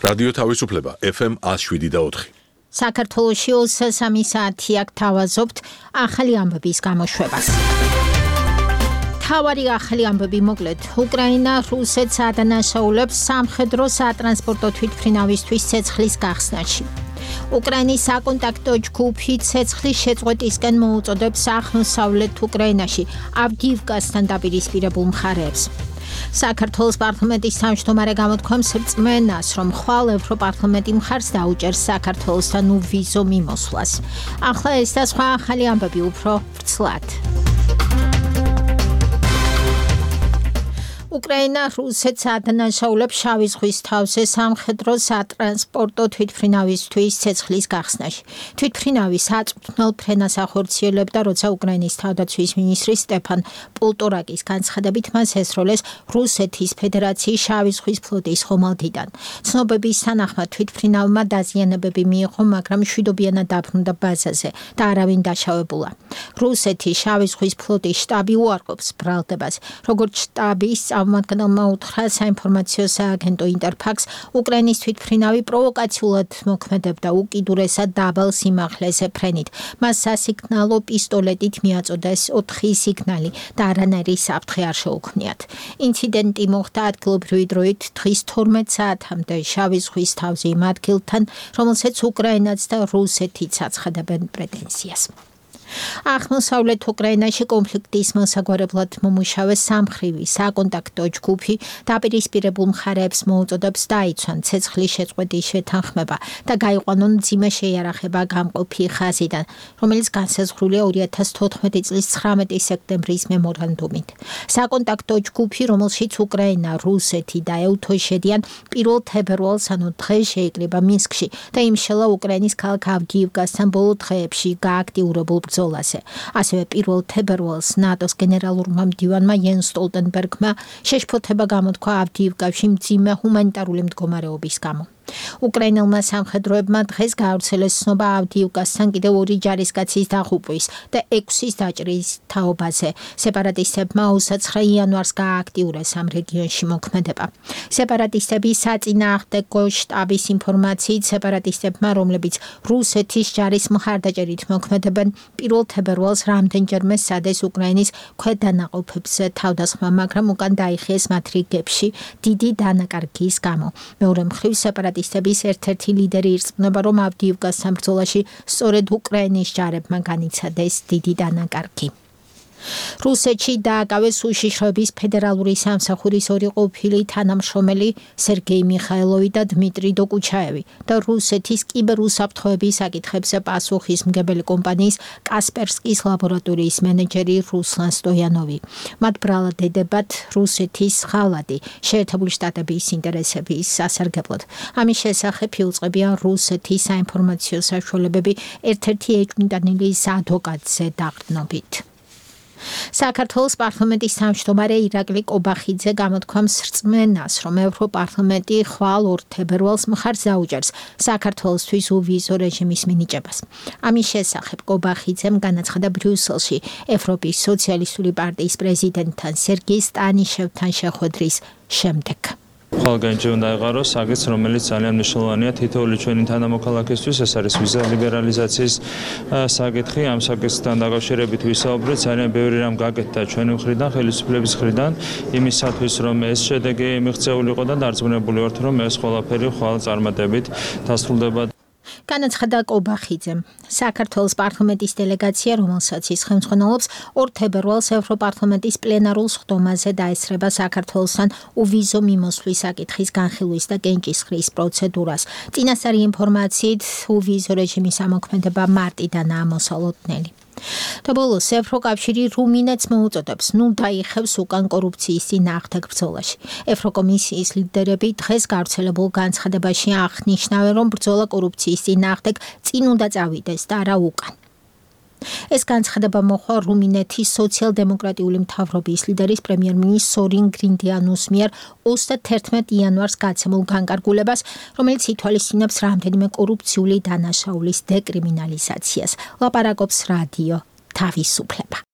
რადიო თავისუფლება FM 107.4. საქართველოში 23 საათი აქ თავაზობთ ახალი ამბების გამოშვებას. თავარი ახალი ამბები მოკლედ. უკრაინა რუსეთს ადანაშაულებს სამხედრო სატრანსპორტო თვითმფრინავისთვის ცეცხლის გახსნაში. უკრაინის საკონტაქტო ჯგუფი ცეცხლის შეწყვეტისკენ მოუწოდებს აღმოსავლეთ უკრაინაში ავდიივკასთან დაპირისპირებულ მხარეებს. საქართველოს პარლამენტის თავმჯდომარე გამოთქვამს რწმენას, რომ ხვალ ევროპარლამენტი მხარს დაუჭერს საქართველოსთან უვიზო მიმოსვლას. ახლა ეს და სხვა ახალი ამბები უფრო ვრცლად. უკრაინა რუსეთს ადანაშაულებს შავი ზღვის თავზე სამხედრო სატრანსპორტო თვითმფრინავისთვის ცეცხლის გახსნაში. თვითმფრინავი საწვრთნელ ფრენას ახორციელებდა, როცა უკრაინის თავდაცვის მინისტრი სტეფან პოლტორაკის განცხადებით მას ესროლეს რუსეთის ფედერაციის შავი ზღვის ფლოტის ხომალდიდან. ცნობების თანახმად თვითმფრინავმა დაზიანებები მიიღო, მაგრამ მშვიდობიანად დაბრუნდა ბაზაზე და არავინ დაშავებულა. რუსეთის შავი ზღვის ფლოტის შტაბი უარყოფს ბრალდებას, როგორც შტაბის წარმომადგენელმა უთხრა საინფორმაციო სააგენტო ინტერფაქს, უკრაინის თვითმფრინავი პროვოკაციულად მოქმედებდა უკიდურესად დაბალ სიმაღლეზე ფრენით. მას სასიგნალო პისტოლეტით მიაწოდეს 4 სიგნალი და არანაირი საფრთხე არ შეუქმნიათ. ინციდენტი მოხდა ადგილობრივი დროით დღის 12 საათამდე შავი ზღვის თავზე იმ ადგილთან, რომელსაც უკრაინაც და რუსეთიც აცხადებენ პრეტენზიას. აღმოსავლეთ უკრაინაში კონფლიქტის მოსაგვარებლად მომუშავე სამხრივი საკონტაქტო ჯგუფი დაპირისპირებულ მხარეებს მოუწოდებს დაიცვან ცეცხლის შეწყვეტის შეთანხმება და გაიყვანონ მძიმე შეიარაღება გამყოფი ხაზიდან, რომელიც განსაზღვრულია 2014 წლის 19 სექტემბრის მემორანდუმით. საკონტაქტო ჯგუფი, რომელშიც უკრაინა, რუსეთი და ეუთო შედიან, 1 თებერვალს, ანუ დღეს შეიკრიბა მინსკში და იმშელა უკრაინის ქალაქ ავდიივკასთან ბოლო დღეებში გააქტიურებულ ბრძოლაზე. ასევე 1 თებერვალს ნატოს გენერალურმა მდივანმა იენს სტოლტენბერგმა შეშფოთება გამოთქვა ავდიივკაში მძიმე ჰუმანიტარული მდგომარეობის გამო. უკრაინელმა სამხედროებმა დღეს გაავრცელეს ცნობა ავდიივკასთან კიდევ 2 ჯარისკაცის დაღუპვის და 6-ის დაჭრის თაობაზე. სეპარატისტებმა 29 იანვარს გაააქტიურეს ამ რეგიონში მოქმედება. სეპარატისტები საწინააღმდეგო შტაბის ინფორმაციით, სეპარატისტებმა, რომლებიც რუსეთის ჯარის მხარდაჭერით მოქმედებენ, 1 თებერვალს რამდენჯერმე სადეს უკრაინის ქვედანაყოფებზე თავდასხმა, მაგრამ უკან დაიხიეს მათ რიგებში დიდი დანაკარგის გამო. მეორე მხრივ სეპარატისტების ერთ-ერთი ლიდერი ირწმუნება, რომ ავდიივკასთან ბრძოლაში სწორედ უკრაინის ჯარებმა განიცადეს დიდი დანაკარგი. რუსეთში დააკავეს უშიშროების ფედერალური სამსახურის 2 ყოფილი თანამშრომელი სერგეი მიხაილოვი და დმიტრი დოკუჩაევი და რუსეთის კიბერუსაფრთხოების საკითხებზე პასუხისმგებელი კომპანიის კასპერსკის ლაბორატორიის მენეჯერი რუსლან სტოიანოვი. მათ ბრალად ედებათ რუსეთის ხალადი შეერთებული შტატების ინტერესების სასარგებლოდ. ამის შესახებ იუწყებიან რუსეთის საინფორმაციო საშუალებები ერთ-ერთი ეჭვმიტანილის ადვოკატზე დაყრდნობით. საქართველოს პარლამენტის თავმჯდომარე ირაკლი კობახიძე გამოთქვამს რწმენას, რომ ევროპარლამენტი ხვალ 2 თებერვალს მხარს დაუჭერს საქართველოსთვის უვიზო რეჟიმის მინიჭებას. ამის შესახებ კობახიძემ განაცხადა ბრიუსელში ევროპის სოციალისტური პარტიის პრეზიდენტთან სერგეი სტანიშევთან შეხვედრის შემდეგ. ხალხი უნდა ეღაროს აგეც, რომელიც ძალიან მნიშვნელოვანია თითოეული ჩვენი თანამოქალაქისთვის, ეს არის ვიზა ლიბერალიზაციის საკითხი. ამ საკითხთან დაკავშირებით ვისაუბრეთ, ძალიან ბევრი რამ გაკეთდა ჩვენი მხრიდან, ხელისუფლების მხრიდან, იმისათვის, რომ ეს შედეგი მიღწეულიყო და დარწმუნებული ვართ, რომ ეს ყველაფერი ხვალ წარმატებით დასრულდება. განაცხადა კობახიძემ. საქართველოს პარლამენტის დელეგაცია, რომელსაც ის ხელმძღვანელობს, 2 თებერვალს ევროპარლამენტის პლენარულ სხდომაზე დაესწრება საქართველოსთან უვიზო მიმოსვლის საკითხის განხილვის და კენჭისყრის პროცედურას. წინასწარი ინფორმაციით, უვიზო რეჟიმის ამოქმედება მარტიდანაა მოსალოდნელი. და ბოლოს ევროკავშირი რუმინეთს მოუწოდებს ნუ დაიხევს უკან კორუფციის წინააღმდეგ ბრძოლაში. ევროკომისიის ლიდერები დღეს გავრცელებულ განცხადებაში აღნიშნავენ, რომ ბრძოლა კორუფციის წინააღმდეგ წინ უნდა წავიდეს და არა უკან. ეს განცხადება მოხდა რუმინეთის სოციალ-დემოკრატიული მთავრობის ლიდერის პრემიერ-მინისტრ სორინ გრინდიანუს მიერ 31 იანვარს გაცემულ განკარგულებას, რომელიც ითვალისწინებს რამდენიმე კორუფციული დანაშაულის დეკრიმინალიზაციას. ლაპარაკობს რადიო თავისუფლება.